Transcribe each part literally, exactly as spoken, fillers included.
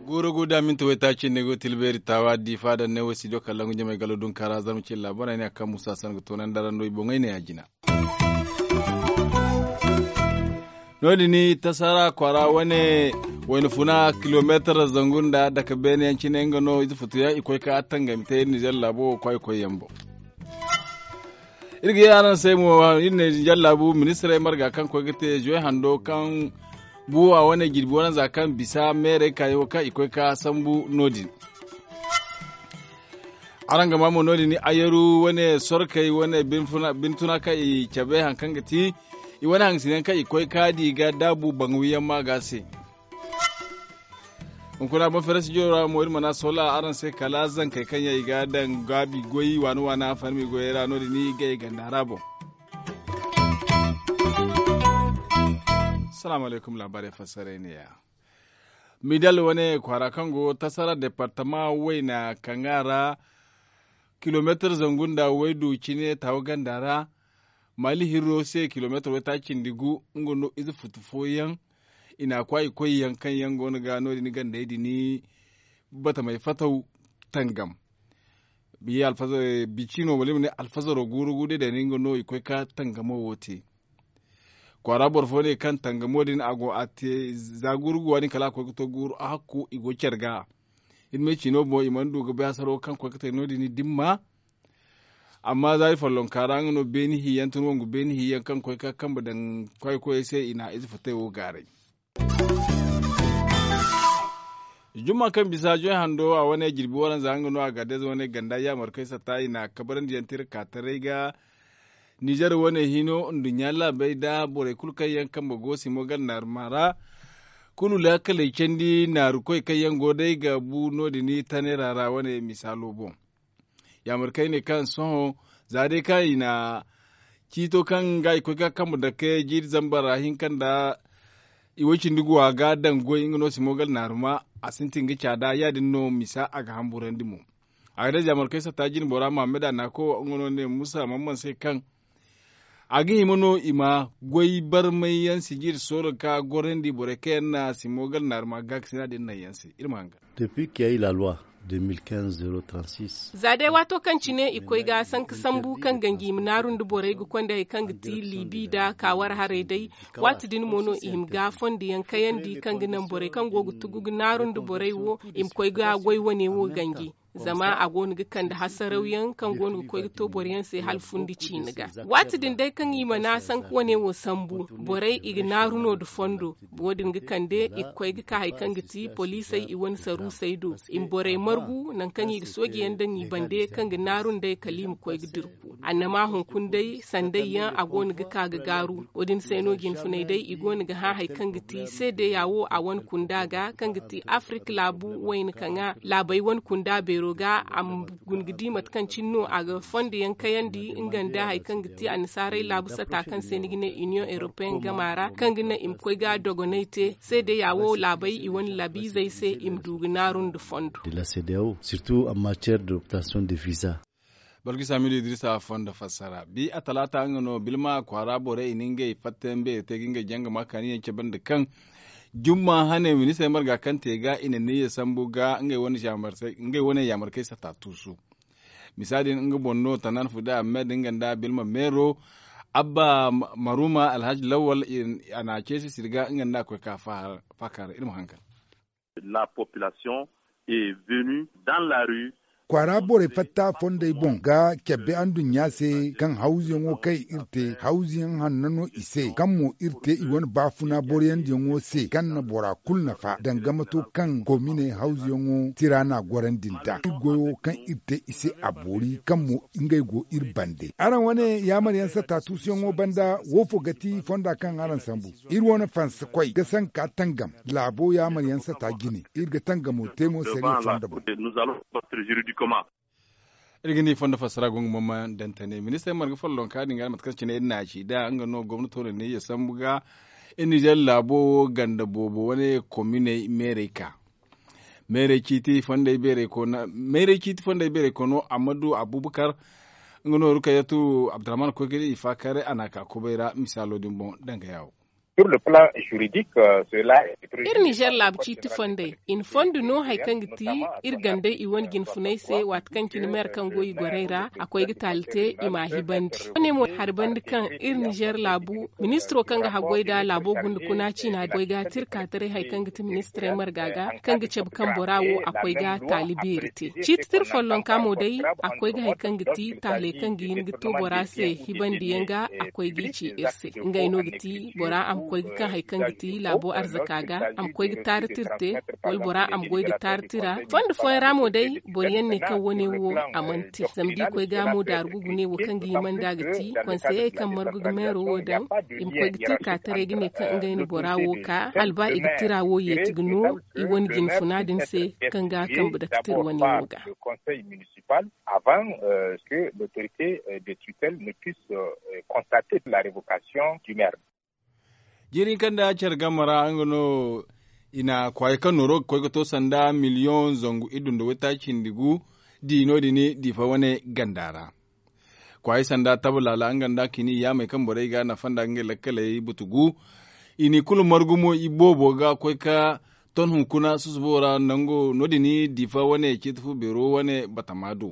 Guuru gu da minti waytaaci nda i go ga tilbeeri taawa diifa daŋ ne wo studio kalangu jamey galo dunkaara zarma cilla borey ne a kaŋ musa san ga toonandi araŋ do i boŋey ne ya jina. No- din tasara kwaara wane wayna funa kilomeetar zangu nda dake beene yaŋ cine nga no ize futu yaŋ i koy ka tangami te iri nizer laabo wo kwaay koy yaŋ boŋ. Iri ga ye araŋ se mo iri ne nizer laabu ministirey marga kaŋ koy ga te zoy hando kaŋ buwa wane jirbi wane za kaŋ bisa meerey kaayaŋo kaŋ i koy ka sambu no- din. Araŋ ga maa mo no- din ayaru wane sorkey wane bintuna kaŋ i cabe hari kaŋ ga ti i wane hangasinayaŋ kaŋ i koy ka di ga daabu baŋ wiyaŋ ma ga se. Hunkuna boŋ fere studio ra mo iri mana sola araŋ se kala zankey kaŋ yaŋ i ga daŋ gaabi goy waana waana farmi goyey ra no- din i ga i ganda ra boŋ. Salaamu alaykum laabaarey fassaray ne- ya. Midal wane kwaara kaŋ go tasara departama wayna kaŋ a ra kilomeetar zangu nda waydu cine taawa ganda ra. Maali hirro se kilomeetar waytaaci nda gu nga no ize futu fooyaŋ i na a kwaay koy yaŋ kaŋ yaŋ go no ga no- din gandey din batamey fataw tangam. Biya alfazar bicino wala i ma ne alfazaro guuru gu day day no nga no i koy ka tangamo wo te. Kwaara boro fo ne kaŋ tangamo din a go a te za guuru gu wa- din kala a koy ga to guuru a hakku i go care ga. Iri me cino boŋ i mana du ga bay hasaro kaŋ koy ga te no- din dimma. Amma za iri follonka ra nga no beeni hiyaŋ tun wangu beeni hiyaŋ kaŋ koy ka kambe daŋ kwaay koyey se i na ize futay wo gaaray. Jumma kaŋ bisa joy hando a wane jirbi waranza nga no a ga day wane ganda yaamarkey satta i na kabarandi yaŋ te iri ka taray ga. Nizer wane hino nduɲɲa laabey nda borey kulu kaŋ yaŋ kambe go simo ganda naaruma ra. Kulu laakaley candi naarukoy kaŋ yaŋ go day ga bu no- din taneera ra wane misaalo boŋ. Yaamarkey ne kaŋ sohõ za day kaŋ i na ciito kaŋ ga i koy ga kambe dake jiiri zambar ra hinka nda i way cindi guwa ga daŋ goy nga no simo ganda naaruma. A sintin ga caada ya- din no misa a ga hamburandi mo. A ga day zaamarkey satta jine bora mahammad a naako nga no ne musa mamman se kaŋ a ga hima no i ma goy barmay yaŋ sijiri sooro ka gorandi borey kaŋ yaŋ na simo ganda naaruma gaakasina din naŋ yaŋ se iri ma hanga. Depuis qu'il y a eu la loi deux mille quinze zéro trente-six. Za day waato kaŋ cine i koy ga sanka sambu kaŋ ganji i ma naaru nda borey ga konda hari kaŋ ga ti liibi nda kaawar haray day. Waati din mo no i hima ga fondo yaŋ kayandi kaŋ ga naŋ borey kaŋ go ga tugu ga naaru nda borey wo i ma koy ga goy wane wo ganji. Zama a go no ga kande hasarawyaŋ kaŋ go no ga koy ga to boro yaŋ se hala fundi ciine ga. Waati din day kaŋ i mana sanku wane wo sambu borey i ga naaru no nda fondo. Wo- din ga kande i ga koy ga ka hari kaŋ ga ti poliisey i wane saruusey do i ma borey margu nangu kaŋ i ga sooji yaŋ daŋ i bande kaŋ ga naaru nd'ey kala i ma koy ga dirku. Annama hunkuna day sanday yaŋ a go no ga ka ga gaaru. Wo- din se no jinfuney day i go no ga hã hari kaŋ ga ti seedeya wo a wane kunda ga kaŋ ga ti afirik laabu wayna kaŋ a laabey wane kunda beero ga a ma guna ga di mate kaŋ cine no a ga fondo yaŋ kayandi nga nda hari kaŋ ga ti annasaarey laabu sata kaŋ se ni ga ne union european gama ra kaŋ ga naŋ i ma koy ga dogonay te seedeya wo laabey i wane laabiizey se i ma du ga naaru nda fondo. De la cdao surtout en matière d'obtention de visa. Balkisa midu idrisa fondo fassara bi a talaata nga no bilma kwaara borey i na ngey fattayaŋ beeri te ga ngey janga ma kaani yaŋ cabe nda kaŋ jumma hane ministirey marga kaŋ te ga i na niyya sambu ga ngey wane yaamarkey sata tuusu. Misa din nga boŋ no tanan fude ahmed nga nda bilma meero abba maruma alhaji lawal a na ceesi sirga nga nda a koy ka faakar iri ma hankal. La population est venue dans la rue. Kwaara borey fatta fondey boŋ ga cabbe anduɲɲa se kaŋ hawzuyaŋo kaŋ iri te hawzuyaŋ hanno no i se kaŋ mo iri te i wane baafuna boroyandiyaŋo se kaŋ na bora kulu nafa danga mato kaŋ kominey hawzuyaŋo tira n'a gorandi nd'a iri goyo kaŋ iri te i se a boori kaŋ mo ngey go iri bande araŋ wane yaamaryaŋ satta tuusuyaŋo banda woofo ga ti fonda kaŋ araŋ sambu iri wane fansa koy ga sanka tangam laabo yaamaryaŋ sata jine iri ga tangamo te mo sariya fonda boŋ. Iri ga ni fondo fassara go nga mama dantane ministre marga follonka din ga mate kaŋ cine iri na ci da nga no gomnato na ne ya sambu ga iri nizer laabo wo ganda boobo wane kominey meerey ka Mayray ciiti fondey beerey koono ammadu abubakar, nga nooru kaŋ yatu abdurrahman koy ga di i faakaaray a n'a ka kubay ra misaalo din boŋ danga yaawo. Iri nizer laabu ciiti fondey i na fondo no hari kaŋ ga ti iri gandey i wane jinfunay se waati kaŋ cine meer kaŋ go i gorey ra a koy ga taali te i m'a hibandi. Wane mo hari bandi kaŋ iri nizer laabu ministiro kaŋ ga haggoy nda laabo gunda kuna ciina goy ga tira ka taray hari kaŋ ga ti ministirey marga ga kaŋ ga cabe kaŋ bora wo a koy ga taali beeri te. Ciiti tira follonka mo day a koy ga hari kaŋ ga ti taaley kaŋ ga hin ga to bora se hibandiyaŋ ga a koy g'i ci iri se. Ngey no ga ti bora a ma koy ga kaŋ hari kaŋ ga ti laabo arzaka ga a ma koy ga taari tira te wala bora a ma goy ga taari tira. Fondo fooyaŋ ra mo day boro yaŋ ne kaŋ wane wo a mana te zama da i koy ga mo daaru gugu ne wo kaŋ ga hima nd'a ga ti konseyey kaŋ margu ga meero wo daŋ i ma koy ga tira ka taray ga ne kaŋ ngey na bora wo ka hala ba i ga tira wo yeeti ga no i wane jinfuna din se kaŋ ga kambe dake tira wane wo ga. Avant que l'autorité de tutelle ne puisse constater la révocation du maire. Jiiri hinka nda care game ra nga no i na kwaayo kaŋ nooro ga koy ga to sanda miliyoŋ zangu iddu nda waytaaci cindi gu di no- din diifa wane ganda ra. Kwaayo sanda taba laala nga nda kini yaamey kaŋ borey ga nafa nda ngey lakkaley butu gu. I n'i kulu margu mo iboobo ga koy ka ton hunkuna susubo ra nango no- din diifa wane ciiti fu beero wane batama do.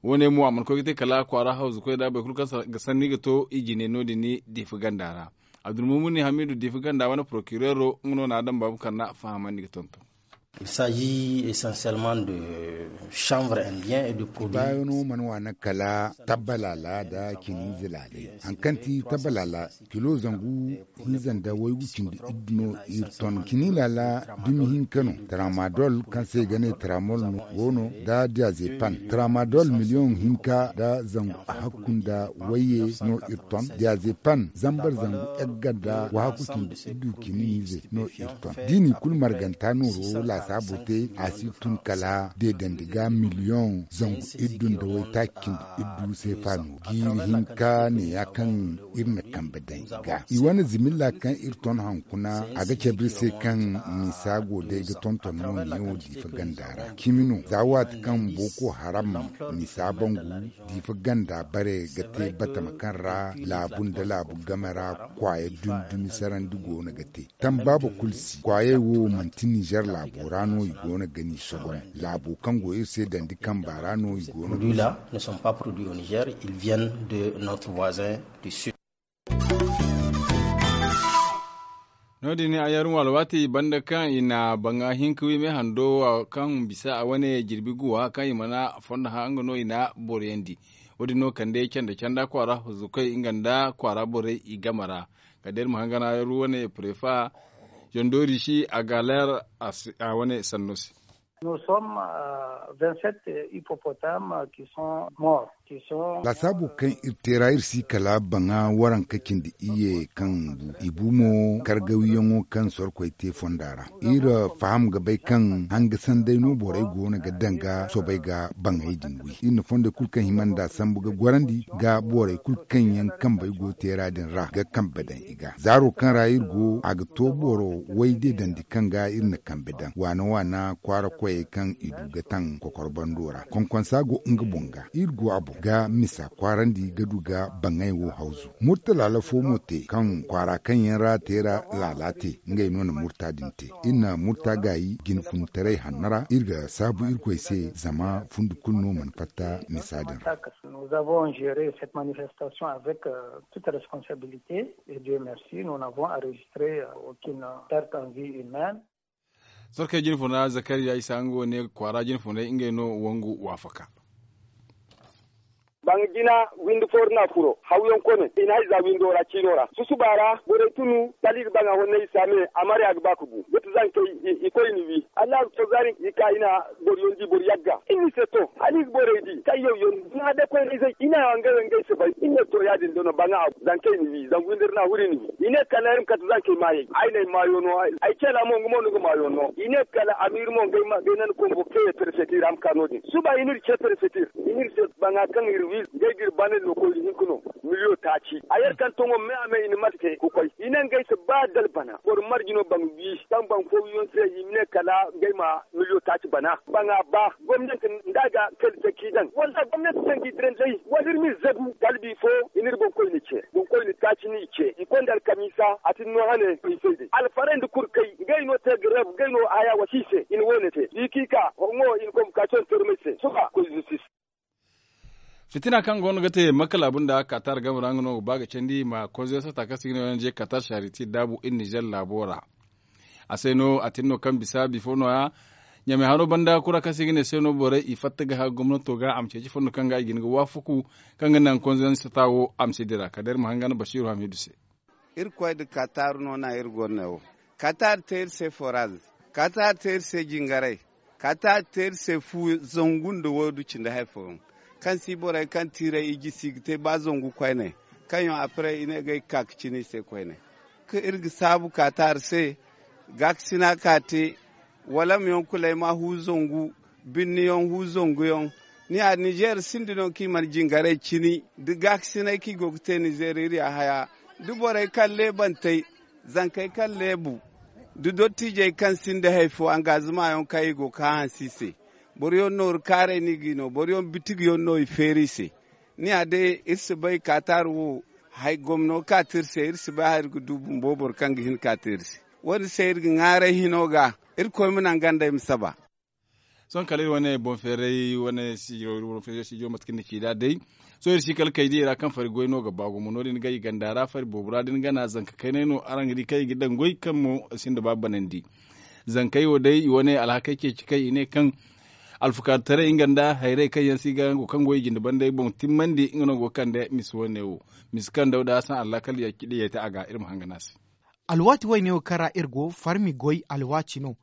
Wo- ne mo a mana koy ga te kala kwaara hawzu koy nda boro kulu kaŋ ga sanni ga to i jine no- din diifa ganda ra. Abdulmumuni hamidu diifa ganda wane porokireero nga no n'a daŋ baabu kaŋ n'a fahamandi ga tonton. Baayo no mana waana kala tabba laala nda kiniize laaley. Hari kaŋ ti tabba laala kilo zangu hinza nda waygu cindi iddu no iri ton kini laala dumi hinka no tramadol kaŋ se i ga ne tramol no go no nda diazepan tramadol miliyoŋ hinka nda zangu hakku nda wayye no iri ton diazepan zambar zangu egga nda wahakku cindi iddu kiniize no iri ton da i n'i kulu marganta nooro laasaabo te a si tun kala deedandi ga miliyoŋ zangu iddu nda waytaaci cindi iddu seefa no jiiri hinka neeya kaŋ iri na kambe daŋ i ga i wane zimilla kaŋ iri ton hankuna a ga cabe iri se kaŋ misa go day ga tonton no neewo diifa ganda ra cimi no za waati kaŋ booko haram misa bangu diifa ganda bare ga te batama kaŋ ra laabu nda laabu game ra kwaaya dumi dumi sarandi go no ga te tambaaba kulu si kwaayey wo manti nizer laabo ra no i go no ga ni sogon laabo kaŋ go iri se dandi kamba ra no i go no ga ni sogon. Ne sont pas produits au nizer, ils viennent de notre voisin du sud. No- din a yaruŋ alwaati banda kaŋ i na baŋa hinka wi me hando kaŋ bisa a wane jirbi guwa kaŋ i mana fondo hã nga no i na boriyandi. Wo- din no kande canda canda kwaara huzukey nga nda kwaara borey i game ra. Kala day iri ma hangan a yaru wane prefa jandori si a ga leer a wane sanno se. Nous sommes vingt sept hippopotames qui sont morts. Lasaabo kaŋ iri te ra iri si kala baŋa waranka cindi iyye kaŋ bu i bu mo kargawiyaŋo kaŋ sorkoy te fonda ra. Iri faham ga bay kaŋ hanga sanday no borey go no ga danga sobey ga baŋey din wi iri na fondey kulu kaŋ hima nda sambu ga gorandi ga borey kulu kaŋ yaŋ kambey go teera din ra ga kambe daŋ i ga zaaro kaŋ ra iri go a ga to boro way de dandi kaŋ ga iri na kambe daŋ waana waana kwaara koyey kaŋ i du ga taŋ kokor bando ra konkonsa go nga boŋ ga iri go a boŋ ga misa kwaarandi ga du ga baŋey wo hawzu murta laala fo mo te kaŋ kwaara kaŋ yaŋ ra teera laala te ngey no na murta din te iri na murta gaayi jinfuntaray hanno ra iri ga saabu irkoy se zama fundi kulu no mana fatta misa din ra. Nous avons géré cette manifestation avec toute responsabilité et Dieu merci nous n'avons enregistré aucune perte en vie humaine. Sorkey jinfuna zakariya isa nga wo ne kwaara jinfunay ngey no wangu waafaka. Baŋ jina windi fooru na furo hawyaŋ kone i na hay za windo ra ciino ra susuba ra borey tunu kala i ga baŋ a honne i saame a marya ga ba ka bu ga ti zankey i koy ni wi. Allaha ga to zaari i ka i na boro yaŋ di boro yagga i ni se to hala i ga borey di kaŋ yaw yaŋ na day koyne izey i na ngey wo ngey se bay i ne to ya- din da no baŋ a zankey ni wi zangu windi ra na huri ni wi i ne kala ay ma kate zankey maayey ay na ay maayo no ay ceela mo nga mo ni ga maayo no i ne kala amiiri mo ngey ma ngey nana kombo kaŋ ye perefetir a ma ka no- din suba i n'iri ce perefetir i n'iri se baŋa kaŋ iri Ngey ga iri bana no koyri hinka no miliyo taaci a yer kaŋ toŋo me a me i na mate te ga koy i ne ngey se ba dala bana boro marji no baŋ wi kaŋ baŋ fo wiyaŋ se i ma ne kala ngey ma miliyo taaci bana baŋa ba gomnanti nda a ga kali te k'i daŋ wala gomnanti sanji diranday wala iri ma iri zagu kala bifo i na iri boŋkoyne ce boŋkoyne taaci no i ce i konda alkamiisa a tin no hane i se day alfarey nda kurkey ngey no te ga reeb ngey no haya wasi i se i na woone te i k'i ka hongo i na konbukasiyoŋ termey se sohõ koy zistis. Fitina kaŋ go no ga te makka laabu nda katar game ra nga no ga ba ga candi ma konzey sata kaŋ se i ga ne ong katar sariti daabu iri nizer laabo ra. A se no a tin no kaŋ bisa bifo no- ya ɲamay haro banda kura kaŋ se i ga ne se no borey i fatta ga hã gomnato ga a ma ceeci fondo kaŋ ga i ga hin ga waafaku kaŋ ga naŋ konzey sata wo a ma si dira kala day iri ma hanga nda basiiru hamiidu se. Irkoy nda katar no naŋ iri go no ne wo. Katar te iri se foraz. Katar te iri se jingaray. Katar te iri se fu zangu nda waydu cindi hari fooyaŋ. Kaŋ si borey kaŋ tiiray i jisi i ga te ba zangu koyne. Kaŋ yaŋ apiray i ne ga ay ga ka ga cina i se koyne. Kaŋ iri ga saabu katar se gaakasina ka te walam yaŋ kulay ma hu zangu. Binni yaŋ hu zangu yaŋ. Ni ya nizer sinda no kaŋ i mana jingaray cini da gaakasinay kaŋ i go ga te nizer iri ya haya da borey kaŋ leebantey zankey kaŋ leebu da dottiijey kaŋ sinda hari fo angaazima yaŋ kaŋ i go ga hã hanse i se. Boro yaŋ nooru kaaray no i ga i no boro yaŋ bitigi yaŋ no i feeri i se. Ni ya day iri si bay kaataari wo gomno kaati iri se iri si bay hari ga du bumbo boro kaŋ ga hin kaati iri se. Wo- din se iri ga ŋwaaray hino ga irkoy ma naŋ gandey ma saba. Sohõ kala iri wane boŋ feeray wane sijo mate kaŋ ni ci nd'a day. Sohõ iri si kala kay diyey ra kaŋ fari goy no ga ba gumo no- din ga i ganda ra fari boobo ra da ni gana zanka kaynay no araŋ ga di kaŋ i ga daŋ goy kaŋ mo sinda ba banandi. Zankey wo day i wane alhakey ceeci kaŋ i ne kaŋ alfukaarutaray nga nda hayrey kaŋ yaŋ se i ga hango kaŋ go i jinde bandey boŋ timmandi nga no go ga kande misa wane wo. Misa kaŋ dawda hasan allaakal ya ci diyey te a ga iri ma hangana se. Alwaati wayne wo kaŋ ra iri go farmi goy alwaati no.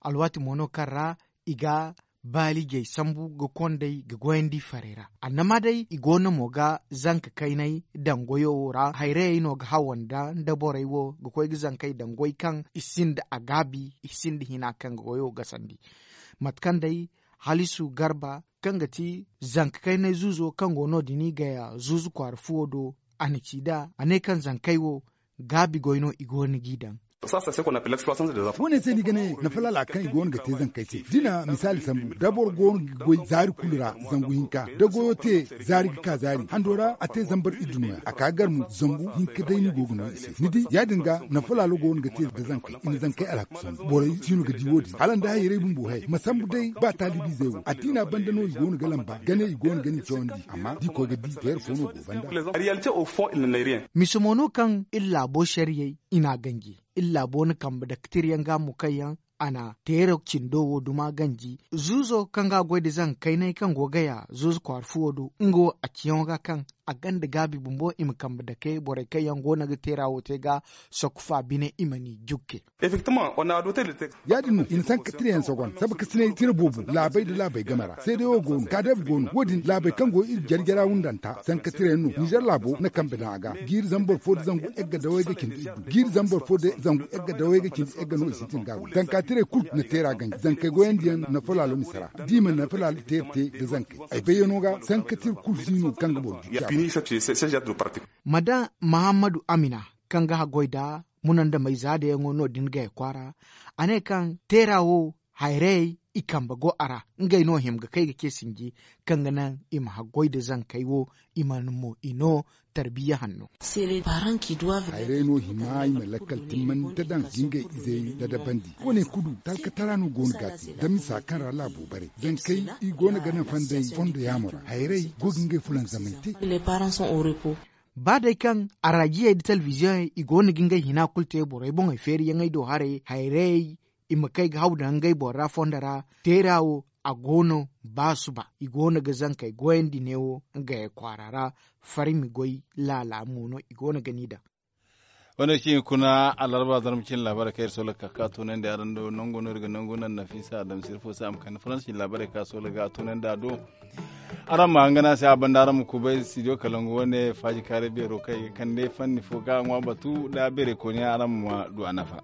Alwaati mo no kaŋ ra i ga baalijey sambu ga kondey ga goyandi farey ra annama day i go no mo ga zanka kayney daŋ goyo wo ra hayrayey no ga hawa nda nda borey wo ga koy ga zankey daŋ goy kaŋ i sinda a gaabi i sinda hina kaŋ ga goyo gasandi. Mate kaŋ day halisu garba kaŋ ga ti zanka kayney zuuzo kaŋ go no- din i gaya zuuzu kwaara fuwo do. A na ci nd'a a ne kaŋ zankey wo gaabi goy no i go no g'i daŋ. Wo- ne se ni ga ne nafa laala kaŋ i go no ga te zankey se da i na misaali sambu da boro go no ga goy zaari kulu ra zangu hinka da goyo te zaari ga ka zaari hando ra a te zambar iddu no- ya a ka gar mo zangu hinka day ni go ga no i se ni di ya- din ga nafa laalo go no ga te da zankey i na zankey alhakku sambu borey si no ga di wo- din hala nda hayray bumbo hay ma sambu day ba taalibiizey wo addiina banda no i go no ga lamba gane i go no ga ni cawandi amma da i koy ga di teera fo no go banda. Misa mo no kaŋ iri laabo sariyey i n'a ganji iri laabo na kambe daktir yaŋ ga mo kaŋ yaŋ a na teera cindo wo duma ganji zuuzo kaŋ ga a goy nda zanga kaynay kaŋ go ga ya zuuzu kwaara fuwo do nga wo a ciyaŋo ga kaŋ a gonda gaabi bumbo i ma kambe dake borey kaŋ yaŋ go no ga teera wo te ga sokku fa bine i ma ni jukke. Ya- din no i na sanka tira yaŋ sogon sabakasinay tira boobo laabey nda laabey game ra seeday wo go no kaadeeba go no wo- din laabey kaŋ go iri jare jara wundanta sanka tira yaŋ no nizer laabo na kambe daŋ a ga jiiri zambar fo nda zangu egga dawey ga cindi iddu jiiri zambar fo nda zangu egga dawey ga cindi egga no i sintin ga a goy zanka tiray kulu na teera ganji zankey goyandi yaŋ nafa laalo misa ra da i ma nafa laalo teera te nda zankey ay bayyaŋo ga sanka tira kulu si no kaŋ ga boro jukki a boŋ. Madan mahammadu amina kaŋ ga haggoy nda munandamey zaadayaŋo no- din gaya kwaara a ne kaŋ teera wo hayrayey i kambe go a ra ngey no hima ga kay ga ce sinji kaŋ ga naŋ i ma haggoy nda zankey wo i mana mo i no tarbiya hanno. Hayray no hima i ma lakkal timmandi ta daŋ ga ngey izey dadabandi wo- ne kulu talkatara no go no ga a te da misa kaŋ ra laabo bare zankey i go no ga naŋ fanday fondo yaamo ra hayray go ga ngey fulanzamay te. Ba day kaŋ araajiyey nda telebiziyoŋey i go no ga ngey hina kulu te borey boŋey feeriyaŋey do haray hayrayey i ma kay ga haw daŋ ngey boro ra fondo ra teera wo a go no ba suba i go no ga zankey goyandi neewo ngey kwaara ra farmi goy laala mo no i go no ga ni daŋ. Wane cine kuna alarba zarma cine laabaarey kaŋ iri soola ga ka ka toonandi araŋ do nango no iri ga nangu naŋ nafiisa adamsir fo se a ma kande faransi cine laabaarey kaŋ a soola ga a toonandi a do. Araŋ ma hangana se a banda araŋ ma kubay studio kalangu wane faaji kaaray beero kaŋ i ga kande fanni fo ga a ŋwa batu nda beeray kooniyaŋ araŋ ma du a nafa.